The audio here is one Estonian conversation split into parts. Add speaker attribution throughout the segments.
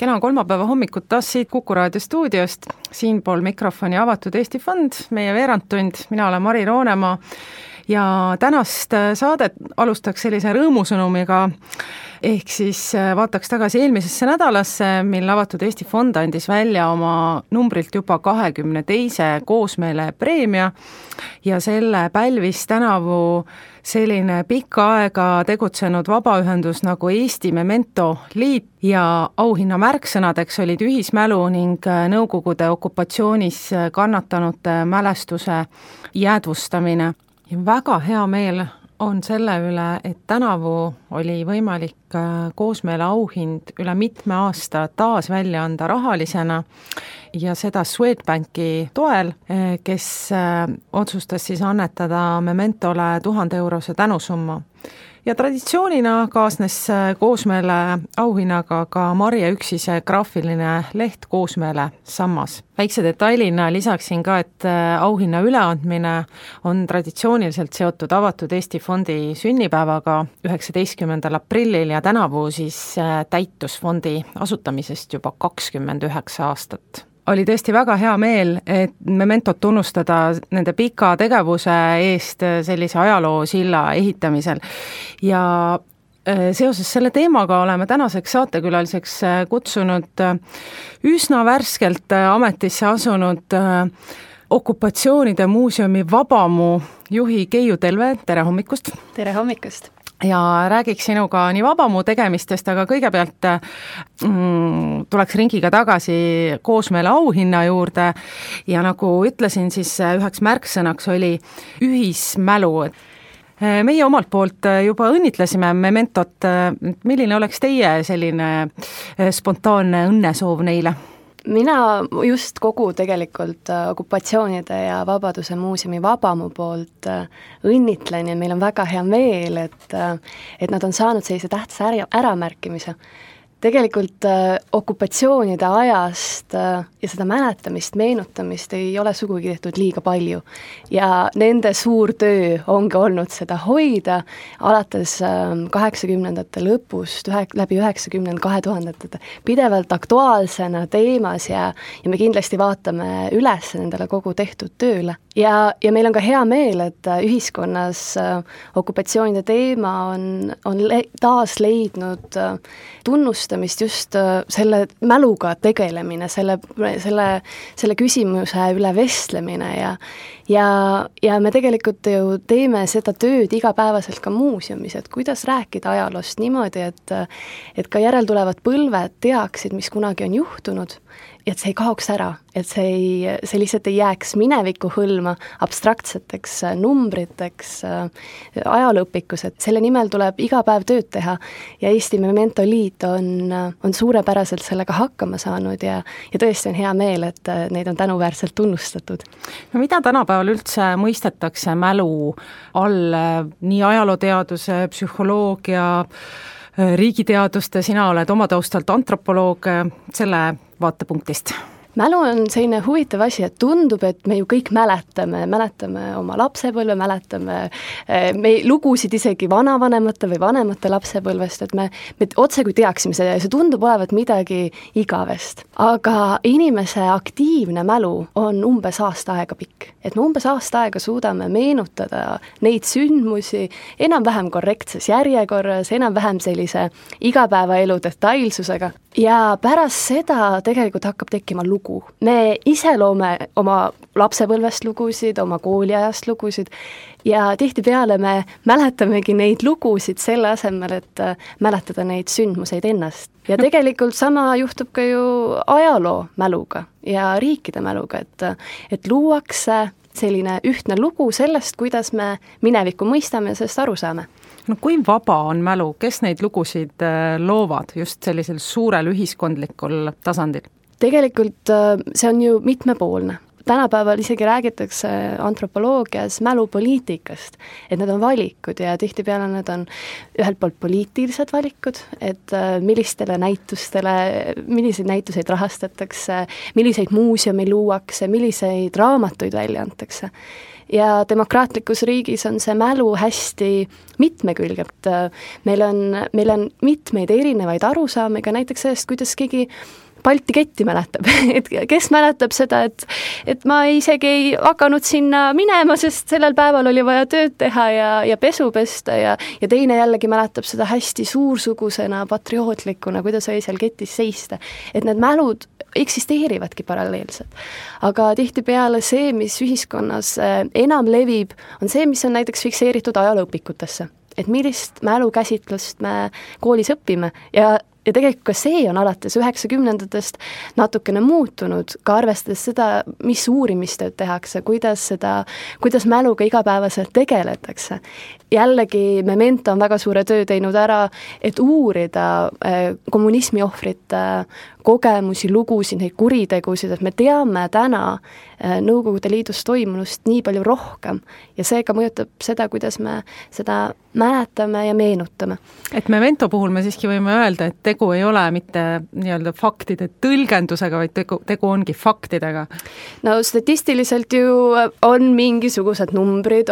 Speaker 1: Kena kolmapäeva hommikut taas siit Kuku Raadio stuudiost, siinpool mikrofoni Avatud Eesti Fond, meie veerandtund, mina olen Mari Roonemaa ja tänast saadet alustaks sellise rõõmusõnumiga, ehk siis vaataks tagasi eelmisesse nädalasse, mil Avatud Eesti Fond andis välja oma numbrilt juba 22. koosmeele preemia ja selle pälvis tänavu selline pikka aega tegutsenud vabaühendus nagu Eesti Memento Liit ja auhinna märksõnadeks olid ühismälu ning Nõukogude okupatsioonis kannatanute mälestuse jäädvustamine. Ja väga hea meel on selle üle, et tänavu oli võimalik koosmeele auhind üle mitme aasta taas välja anda rahalisena ja seda Swedbanki toel, kes otsustas siis annetada Mementole 1000-eurose tänusumma. Ja traditsioonina kaasnes koosmeele auhinnaga ka Marje Üksise graafiline leht Koosmeele sammas. Väikse detailina lisaksin ka, et auhinna üleandmine on traditsiooniliselt seotud Avatud Eesti Fondi sünnipäevaga 19. aprillil ja tänavu siis täitus fondi asutamisest juba 29 aastat. Oli tõesti väga hea meel, et Mementot tunnustada nende pika tegevuse eest sellise ajaloosilla ehitamisel. Ja seoses selle teemaga oleme tänaseks saatekülaliseks kutsunud üsna värskelt ametisse asunud okupatsioonide muuseumi Vabamu juhi Keiu Telve, tere hommikust!
Speaker 2: Tere hommikust!
Speaker 1: Ja räägiks sinuga nii Vabamu tegemistest, aga kõigepealt tuleks ringiga tagasi koosmeele auhinna juurde ja nagu ütlesin, siis üheks märksõnaks oli ühismälu. Meie omalt poolt juba õnnitlesime Mementot, milline oleks teie selline spontaanne õnnesoov neile?
Speaker 2: Mina just kogu tegelikult okupatsioonide ja Vabaduse muuseumi Vabamu poolt õnnitlen ja meil on väga hea meel, et nad on saanud sellise tähtsa äramärkimise. Tegelikult okupatsioonide ajast ja seda mäletamist, meenutamist ei ole sugugi tehtud liiga palju. Ja nende suur töö ongi olnud seda hoida alates 80-ndate lõpust, läbi 90, 2000-ndate pidevalt aktuaalsena teemas ja me kindlasti vaatame üles nendele kogu tehtud tööle. Ja meil on ka hea meel, et ühiskonnas okupatsioonide teema on taas leidnud tunnustamist just selle mäluga tegelemine, selle küsimuse üle vestlemine ja me tegelikult ju teeme seda tööd igapäevaselt ka muuseumis, et kuidas rääkida ajaloost niimoodi, et ka järeltulevad põlved teaksid, mis kunagi on juhtunud, ja et see ei kaoks ära, et see lihtsalt ei jääks mineviku hõlma abstraktseteks numbriteks ajalooõpikus, et selle nimel tuleb iga päev tööd teha ja Eesti Memento Liit on suurepäraselt sellega hakkama saanud ja tõesti on hea meel, et neid on tänuväärselt tunnustatud.
Speaker 1: No mida tänapäeval üldse mõistetakse mälu all, nii ajalooteaduse, psühholoogia, riigiteaduste, sina oled oma taustalt antropoloog, selle vaatepunktist?
Speaker 2: Mälu on selline huvitav asi, et tundub, et me ju kõik mäletame oma lapsepõlve, mäletame me lugusid isegi vanavanemate või vanemate lapsepõlvest, et me otse kui teaksime seda ja see tundub olevat midagi igavest. Aga inimese aktiivne mälu on umbes aasta aega pikk. Et me umbes aasta aega suudame meenutada neid sündmusi enam-vähem korrektses järjekorras, enam-vähem sellise igapäevaelu detailsusega. Ja pärast seda tegelikult hakkab tekkima lugu. Me ise loome oma lapsepõlvest lugusid, oma kooliajast lugusid ja tihtipeale me mäletamegi neid lugusid selle asemel, et mäletada neid sündmuseid ennast. Ja tegelikult sama juhtub ka ju ajaloo mäluga ja riikide mäluga, et luuakse selline ühtne lugu sellest, kuidas me minevikku mõistame ja sellest aru saame.
Speaker 1: No kui vaba on mälu, kes neid lugusid loovad just sellisel suurel ühiskondlikul tasandil?
Speaker 2: Tegelikult see on ju mitmepoolne. Tänapäeval isegi räägitakse antropoloogias mälupoliitikast, et need on valikud ja tihtipeale need on ühelt poolt poliitilised valikud, et millistele näitustele, milliseid näituseid rahastatakse, milliseid muuseume luuakse, milliseid raamatuid välja antakse. ja demokraatlikus riigis on see mälu hästi mitmekülge, et meil on mitmeid erinevaid arusaamiga näiteks sellest, kuidas keegi Balti ketti mäletab, et kes mäletab seda, et ma isegi ei hakanud sinna minema, sest sellel päeval oli vaja tööd teha ja pesu pesta ja teine jällegi mäletab seda hästi suursugusena, patriootlikuna, kuidas oli seal ketis seista. Et need mälud eksisteerivadki paralleelselt. Aga tihtipeale see, mis ühiskonnas enam levib, on see, mis on näiteks fikseeritud ajalooõpikutesse. Et millist mälukäsitlust me koolis õpime ja tegelikult ka see on alates 90-ndatest natukene muutunud, ka arvestades seda, mis uurimistööd tehakse, kuidas mäluga igapäevaselt tegeletakse. Jällegi Memento on väga suure töö teinud ära, et uurida kommunismi ohvrite kogemusi, lugusid, neid kuritegusid, et me teame täna Nõukogude Liidus toimunust nii palju rohkem ja seega mõjutab seda, kuidas me seda mäletame ja meenutame.
Speaker 1: Et Memento puhul me siiski võime öelda, et tegu ei ole mitte nii-öelda faktide tõlgendusega, vaid tegu ongi faktidega.
Speaker 2: No statistiliselt ju on mingisugused numbrid,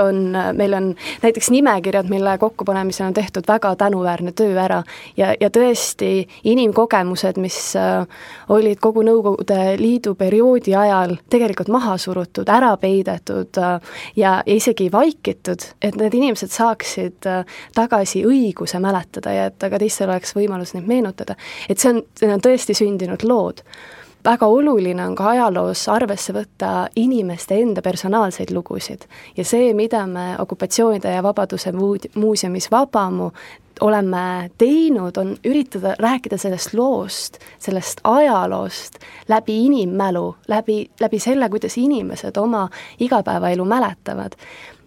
Speaker 2: meil on näiteks nimekirjad, mille kokkupanemisel on tehtud väga tänuväärne töö ära ja tõesti inimkogemused, mis olid kogu Nõukogude Liidu perioodi ajal tegelikult maha surutud, ära peidetud ja isegi vaikitud, et need inimesed saaksid tagasi õiguse mäletada ja et aga teistel oleks võimalus neid meenutada. Et see on tõesti sündinud lood. Väga oluline on ka ajaloos arvesse võtta inimeste enda personaalseid lugusid ja see, mida me okupatsioonide ja vabaduse muuseumis Vabamu oleme teinud, on üritada rääkida sellest loost, sellest ajaloost läbi inimmälu, läbi selle, kuidas inimesed oma igapäevaelu mäletavad.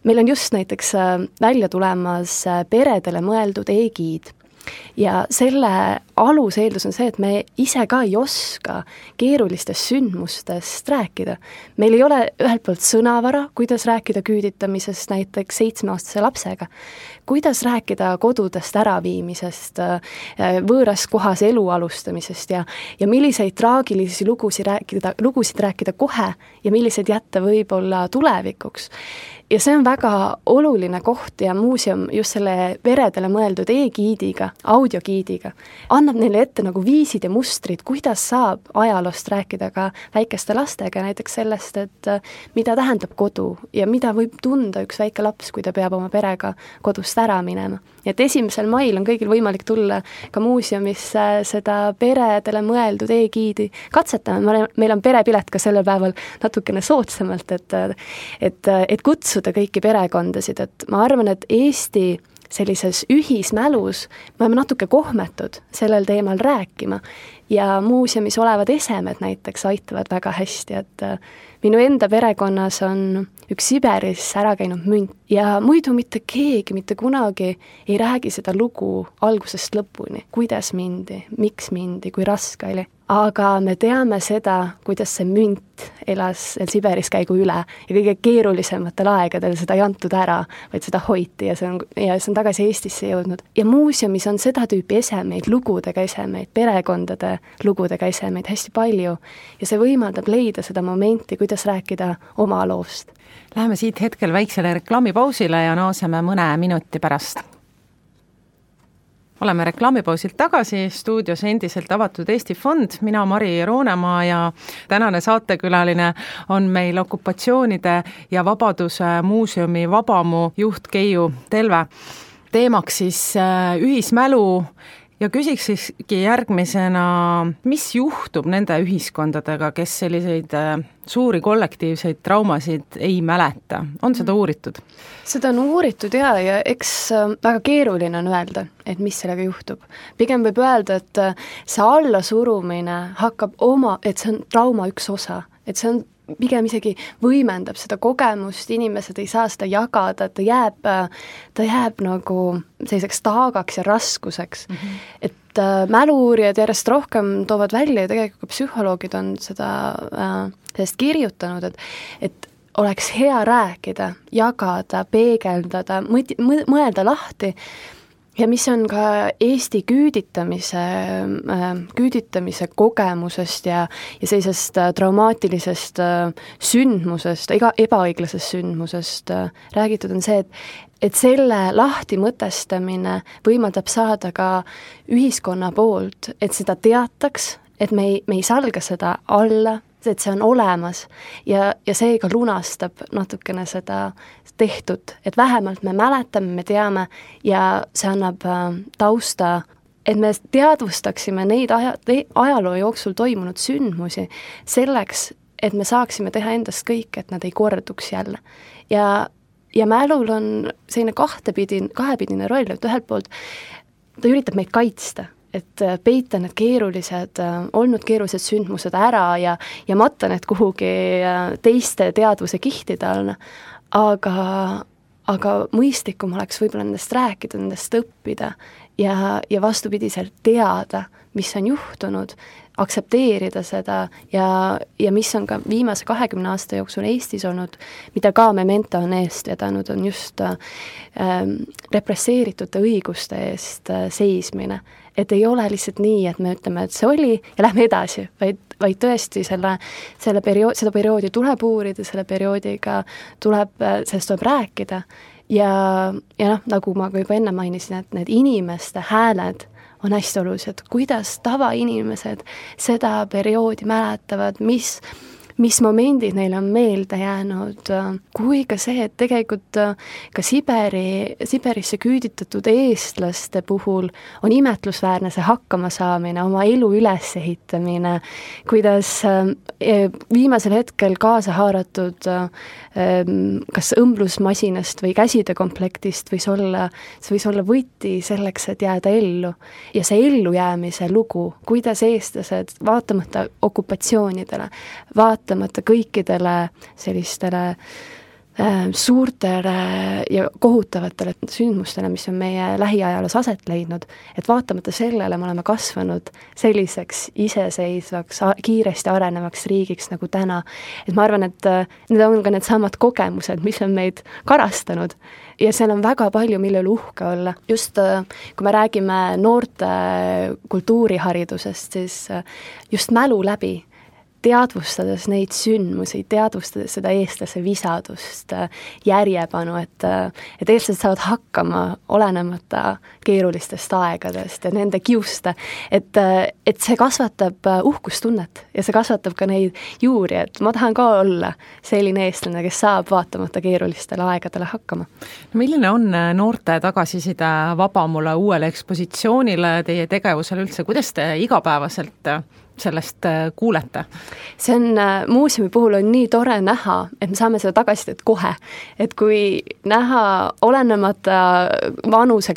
Speaker 2: Meil on just näiteks välja tulemas peredele mõeldud e-giid. Ja selle aluseeldus on see, et me ise ka ei oska keerulistest sündmustest rääkida. Meil ei ole ühelt poolt sõnavara, kuidas rääkida küüditamisest näiteks 7-aastase lapsega, kuidas rääkida kodudest äraviimisest, võõras kohas elu alustamisest ja milliseid traagilisi lugusid rääkida kohe ja milliseid jätta võib-olla tulevikuks. Ja see on väga oluline koht ja muuseum just selle peredele mõeldud e-giidiga, audiogiidiga, annab neile ette nagu viisid ja mustrid, kuidas saab ajaloost rääkida ka väikeste lastega, näiteks sellest, et mida tähendab kodu ja mida võib tunda üks väike laps, kui ta peab oma perega kodust ära minema. Ja et 1. mail on kõigil võimalik tulla ka muuseumisse seda peredele mõeldud e-giidi katsetama. Meil on perepilet ka sellel päeval natukene soodsamalt, et kutsuda kõiki perekondasid, et ma arvan, et Eesti sellises ühismälus me oleme natuke kohmetud sellel teemal rääkima ja muuseumis olevad esemed näiteks aitavad väga hästi, et minu enda perekonnas on üks Siberis ära käinud münt ja muidu mitte keegi mitte kunagi ei räägi seda lugu algusest lõpuni, kuidas mindi, miks mindi, kui raske oli. Aga me teame seda, kuidas see münt elas Siberis käigu üle ja kõige keerulisematel aegadel seda ei antud ära, vaid seda hoiti ja see on tagasi Eestisse jõudnud. Ja muuseumis on seda tüüpi esemeid, lugudega esemeid, perekondade lugudega esemeid hästi palju ja see võimaldab leida seda momenti, kuidas rääkida oma loost.
Speaker 1: Läheme siit hetkel väiksele reklaamipausile ja naaseme mõne minuti pärast. Oleme reklaamipausilt tagasi, stuudios endiselt avatud Eesti Fond, mina Mari Roonemaa ja tänane saatekülaline on meil okupatsioonide ja vabaduse muuseumi Vabamu juht Keiu Telve. Teemaks siis ühismälu ja küsikski järgmisena, mis juhtub nende ühiskondadega, kes selliseid suuri kollektiivseid traumasid ei mäleta? On seda uuritud?
Speaker 2: Seda on uuritud ja eks väga keeruline on öelda, et mis sellega juhtub. Pigem võib öelda, et see allasurumine hakkab et see on trauma üks osa, et see on pigem isegi võimendab seda kogemust, inimesed ei saa seda jagada, ta jääb nagu selliseks taagaks ja raskuseks. Et mälu-uurijad järjest rohkem toovad välja ja tegelikult ka psühholoogid on sellest kirjutanud, et oleks hea rääkida, jagada, peegeldada, mõelda lahti ja mis on ka Eesti küüditamise kogemusest ja sellisest traumaatilisest sündmusest, ebaõiglasest sündmusest räägitud, on see, et selle lahtimõtestamine võimaldab saada ka ühiskonna poolt, et seda teataks, et me ei salga seda alla, et see on olemas ja seega lunastab natukene seda tehtud, et vähemalt me mäletame, me teame ja see annab tausta, et me teadvustaksime neid ajaloo jooksul toimunud sündmusi selleks, et me saaksime teha endast kõik, et nad ei korduks jälle. Ja mälul on selline kahepidine roll, et ühelt poolt ta üritab meid kaitsta, et peita need olnud keerulised sündmused ära ja matta need kuhugi teiste teadvuse kihtide alla, aga mõistlikum oleks võib-olla nendest rääkida, nendest õppida ja vastupidiselt teada, mis on juhtunud, aktsepteerida seda ja mis on ka viimase 20 aasta jooksul Eestis olnud, mida ka Memento on eest vedanud, on just represseeritute õiguste eest seismine. Et ei ole lihtsalt nii, et me ütleme, et see oli ja lähme edasi, vaid tõesti seda perioodi tuleb uurida, selle perioodiga sellest tuleb rääkida ja nagu ma ka juba enne mainisin, et need inimeste hääled on hästi olulised, kuidas tavainimesed seda perioodi mäletavad, mis momendid neil on meelde jäänud, kui ka see, et tegelikult ka Siberisse küüditatud eestlaste puhul on imetlusväärne see hakkamasaamine, oma elu ülesehitamine, kuidas viimasel hetkel kaasa haaratud kas õmblusmasinast või käside komplektist võis olla võti selleks, et jääda ellu. Ja see ellujäämise lugu, kuidas eestlased vaatamata okupatsioonidele, vaatamata kõikidele sellistele suurtele ja kohutavatele sündmustele, mis on meie lähiajaloos aset leidnud, et vaatamata sellele me oleme kasvanud selliseks iseseisvaks, kiiresti arenevaks riigiks nagu täna. Et ma arvan, et need on ka need samad kogemused, mis on meid karastanud ja seal on väga palju, mille üle uhke olla. Just kui me räägime noorte kultuuriharidusest, siis just mälu läbi, teadvustades neid sündmusi, teadvustades seda eestlase visadust, järjepanu, et eestlased saavad hakkama olenemata keerulistest aegadest ja nende kiuste, et see kasvatab uhkustunnet ja see kasvatab ka neid juuri, et ma tahan ka olla selline eestlane, kes saab vaatamata keerulistele aegadele hakkama.
Speaker 1: Milline on noorte tagasiside Vabamule uuele ekspositsioonile, teie tegevusele üldse, kuidas te igapäevaselt sellest kuulete?
Speaker 2: See on muuseumi puhul on nii tore näha, et me saame seda tagasisidet kohe. Et kui näha olenemata vanuse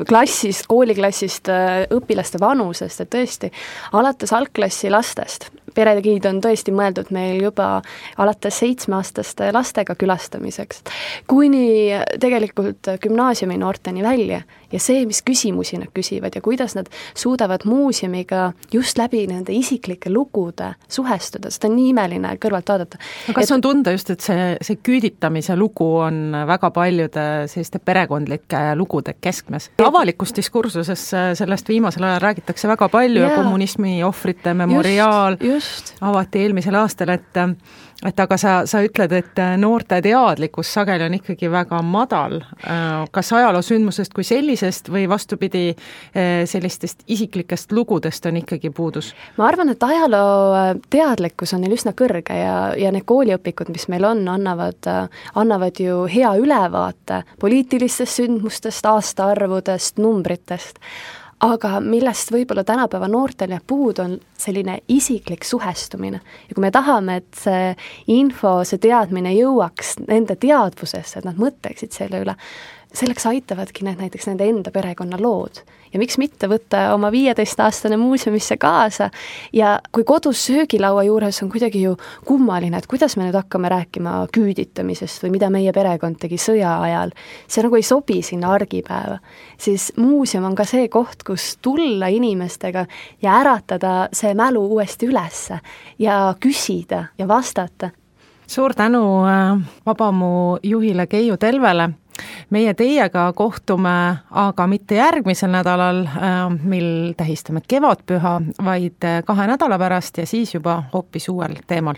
Speaker 2: klassist, kooliklassist, õpilaste vanusest, et tõesti alates algklassi lastest, peregiid on tõesti mõeldud meil juba alates 7-aastaste lastega külastamiseks, kuni tegelikult gümnaasiumi noorteni välja ja see, mis küsimusi nad küsivad ja kuidas nad suudavad muuseumiga just läbi nende isiklike lugude suhestuda, seda on nii imeline kõrvalt vaadata.
Speaker 1: Kas on tunda just, et see küüditamise lugu on väga paljude selliste perekondlike lugude keskmes? Avalikus diskursuses sellest viimasel ajal räägitakse väga palju ja kommunismi ohvrite memoriaal avati eelmisel aastal, et aga sa ütled, et noorte teadlikkus sageli on ikkagi väga madal. Kas ajaloosündmusest kui sellisest või vastupidi sellistest isiklikest lugudest on ikkagi puudus?
Speaker 2: Ma arvan, et ajaloo teadlikkus on neil üsna kõrge ja need kooliõpikud, mis meil on, annavad ju hea ülevaate poliitilistest sündmustest, aastaarvudest, numbritest. Aga millest võib-olla tänapäeva noortel ja puud on selline isiklik suhestumine. Ja kui me tahame, et see info, see teadmine jõuaks nende teadvusesse, et nad mõtleksid selle üle, selleks aitavadki need näiteks nende enda perekonna lood. Ja miks mitte võtta oma 15-aastane muuseumisse kaasa ja kui kodus söögilaua juures on kuidagi ju kummaline, et kuidas me nüüd hakkame rääkima küüditamisest või mida meie perekond tegi sõja ajal, see nagu ei sobi sinna argipäeva, siis muuseum on ka see koht, kus tulla inimestega ja äratada see mälu uuesti ülesse ja küsida ja vastata.
Speaker 1: Suur tänu Vabamu juhile Keiu Telvele. meie teiega kohtume aga mitte järgmisel nädalal, mil tähistame kevadpüha, vaid 2 nädala pärast ja siis juba hoopis uuel teemal.